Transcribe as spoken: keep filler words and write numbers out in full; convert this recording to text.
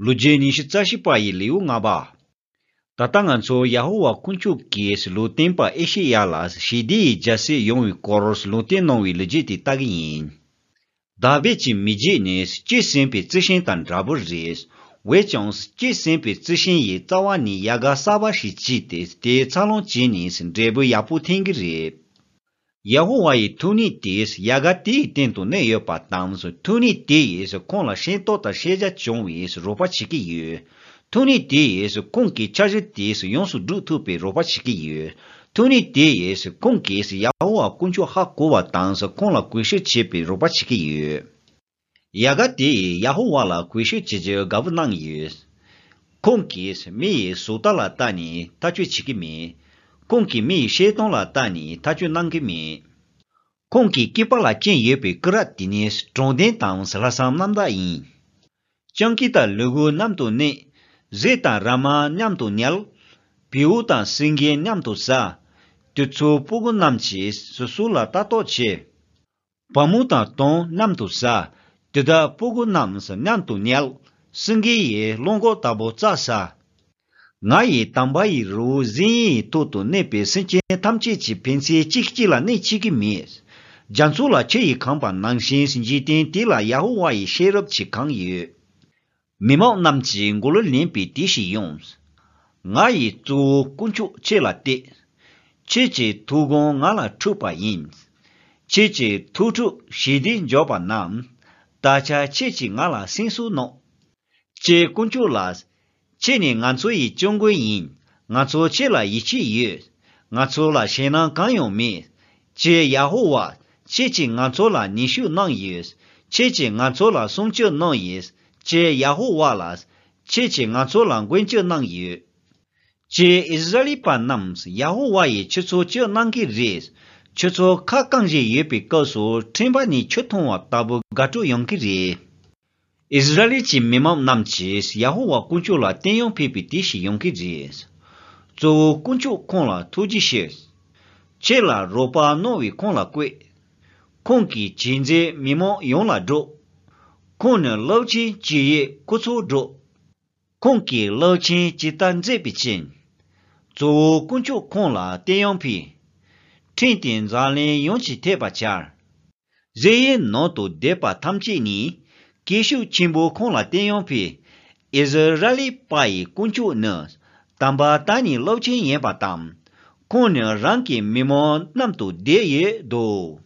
ལོ་རྒྱུས་ཉི་ཤུ་རྩ་བཞི་པ་ཡི་ལེའུ་ལྔ་པ། ད་ལྟ་ང་ཚོ་ཡ་ཧོ་ཝཱ་དཀོན་མཆོག་གིས་ལུང་བསྟན་པ་ཨེ་ཤེ་ཡ་ལ་ཞི་བདེ་ཡི་རྒྱལ་སྲིད་ཡོང་བའི་སྐོར་ལུང་བསྟན་གནང་བའི་ལོ་རྒྱུས་དེ་ལྟ་གི་ཡིན། དཱ་བིད་ཀྱི་མི་རྒྱུད་ནི་སྐྱེས་ཟིན་པའི་རྩི་ཤིང་དང་འདྲ་པོ་རེད། འོན་ཀྱང་སྐྱེས་ཟིན་པའི་རྩི་ཤིང་ཡི་རྩ་བ་ནས་ཡལ་ག་གསར་པ་ཞིག་སྐྱེས་ཏེ་དེའི་འཚར་ལོངས་བྱས་ནས་འབྲས་བུ་ཡག་པོ་འཐེན་གི་རེད། ཡ་ཧོ་ཝཱ་ཡི་ཐུགས་ཉིད་དེས་ཡལ་ག་དེའི་སྟེང་དུ་གནས་ཡོད་པ་དང་། ཐུགས་ཉིད་དེ་ཡིས་ཁོང་ལ་ཤེས་རྟོགས་དང་ཤེས་བྱ་བྱུང་བའི་རོགས་པ་བྱེད་ཀྱི་ཡོད། ཐུགས་ཉིད་དེ་ཡིས་ཁོང་གི་འཆར་གཞི་དེ་ཡོངས་སུ་སྒྲུབ་ཐུབ་པའི་རོགས་པ་བྱེད་ཀྱི་ཡོད། ཐུགས་ཉིད་དེ་ཡིས་ཁོང་གིས་ཡ་ཧོ་ཝཱ་དཀོན་མཆོག་ཧ་གོ་བ་དང་། ཁོང་ལ་གུས་ཞབས་བྱེད་པའི་རོགས་པ་བྱེད་ཀྱི་ཡོད། ཡལ་ག་དེ་ཡིས་ཡ་ཧོ་ཝཱ་ལ་གུས་ཞབས་བྱེད་རྒྱུའི་དགའ་བོ་གནང་ཡོད། ཁོང་གིས་མི་ཡི་བཟོ་ལྟ་ལ་བལྟས་ནས་ཐག་གཅོད་བྱེད་ཀྱི་མེད། ཁོང་གིས་མི་ཡི་བཤད་སྟངས་ལ་བལྟས་ནས་ཐག་གཅོད་གནང་གི་མེད། ཁོང་གི་སྐེད་པ་ལ་བཅིངས་ཡོད་པའི་སྐུ་རབ་དེ་ནི་དྲང་བདེན་དང་ལྷག་བསམ་རྣམ་དག་ཡིན། སྤྱང་ཀི་དང་ལུ་གུ་མཉམ་དུ་གནས། གཟིག་དང་ར་མ་མཉམ་དུ་ཉལ། བེའུ་དང་སེང་གེ་མཉམ་དུ་ཟ། དུས་ཚོད་སྤུ་གུ་རྣམས་ཀྱིས་སོ་སོ་ལ་ལྟ་རྟོག་བྱེད། བ་མོ་དང་དོམ་མཉམ་དུ་ཟ། དེ་དག་སྤུ་གུ་རྣམས་མཉམ་དུ་ཉལ། སེང་གེ་ཡིས་གླང་གོག་ལྟ་བུ་རྩྭ་ཟ། ང་ཡིས་དམ་པ་ཡི་རི་བོ་ཟི་ཡོན་ཡི་ཐོག་ཏུ་གནས་པའི་སེམས་ཅན་ཐམས་ཅད་ཀྱིས་ཕན་ཚུན་གཅིག་གཅིག་ལ་གནོད་བྱེད་ཀྱི་མེད། རྒྱ་མཚོ་ལ་ཆུ་ཡིས་གང་བ་ནང་བཞིན་འཇིག་རྟེན་དེ་ལ་ཡ་ཧོ་ཝཱ་ཡི་ཤེས་རབ་ཀྱིས་གང་ཡོད། མི་མང་རྣམས་ཀྱིས་མགོ་ལོག་ལེན་པའི་དུས་ཤིག་ཡོང་། ང་ཡིས་གཙོ་བོ་དཀོན་མཆོག་ཁྱེད་ལ་གཏད། ཁྱེད་ཀྱི་ཐུགས་དགོངས་ང་ལ་འཁྲུལ་པ་ཡིན། ཁྱེད་ཀྱི་ཐུགས་ཁྲོས་ཞི་བདེ་འབྱོར་པ་རྣམས། ད་ཆ་ཁྱེད་ཀྱིས་ང་ལ་གསན་སྲོལ་གནང་། ཁྱེད་དཀོན་མཆོག་ལགས། ཁྱེད་ནི་ང་ཚོ་ཡི་སྐྱབས་མགོན་ཡིན། ང་ཚོ་ཁྱེད་ལ་ཡིད་ཆེས་ཡོད། ང་ཚོ་ལ་ཞེད་སྣང་གང་ཡང་མེད། ཁྱེད་ཡ་ཧོ་ཝཱ། ཁྱེད་ཀྱིས་ང་ཚོ་ལ་ནུས་ཤུགས་གནང་ཡོད། ཁྱེད་ཀྱིས་ང་ཚོ་ལ་སྲུང་སྐྱོབ་གནང་ཡོད། ཁྱེད་ཡ་ཧོ་ཝཱ་ལགས། ཁྱེད་ཀྱིས་ང་ཚོ་ལ་མགོན་སྐྱབས་གནང་ཡོད། ཁྱེད་ཨིསི་ར་ཨེལ་པ་རྣམས་ཡ་ཧོ་ཝཱ་ཡིས་ཁྱེད་ཚོ་སྐྱོབ་གནང་གི་རེད། ཁྱེད་ཚོ་ཁ་བསྐངས་བཞིན་ཡོད་པའི་སྐབས་སུ་ཕྲེང་བ་ནས་ཆུ་འཐུང་བ་ལྟ་བུ་དགའ་སྤྲོ་ཡོང་གི་རེད། ཨིསི་ར་ཨེལ་གྱི་མི་མང་རྣམས་ཀྱིས་ཡ་ཧོ་ཝཱ་དཀོན་མཆོག་ལ་བསྟོད་དབྱངས་ཕུལ་བའི་དུས་ཤིག་ཡོང་གི་རེད། གཙོ་བོ་དཀོན་མཆོག་ཁོང་ལ་ཐུགས་རྗེ་ཆེ། ཁྱེད་ལ་རོགས་པ་གནང་བས་ཁོང་ལ་བཀོད། ཁོང་གི་བྱས་རྗེས་མི་མང་ཡོངས་ལ་སྒྲོག། ཁོང་ནི་རླབས་ཆེན་གྱི་ཡི་སྐུ་ཚབ་སྒྲོག། ཁོང་གིས་རླབས་ཆེན་ཇི་ལྟར་མཛད་པའི་ཕྱིར། གཙོ་བོ་དཀོན་མཆོག་ཁོང་ལ་བསྟོད་དབྱངས་ཕུལ། ཕྲེང་དེ་འཛམ་གླིང་ཡོངས་ཀྱིས་ཐོས་པར་བྱ། གཞལ་ཡས་ནང་དུ་སྡོད་པ་ཐམས་ཅད་ནི། སྐད་ཤུགས་ཆེན་པོས་ཁོང་ལ་བསྟོད་དབྱངས་ཕུལ། ཨིསི་ར་ཨེལ་པ་ཡི་དཀོན་མཆོག་ནི། དམ་པ་དང་ནི་རླབས་ཆེན་ཡིན་པ་དང་། ཁོང་ནི་རང་གི་མི་མང་མཉམ་དུ་བསྡད་ཡོད་དོ།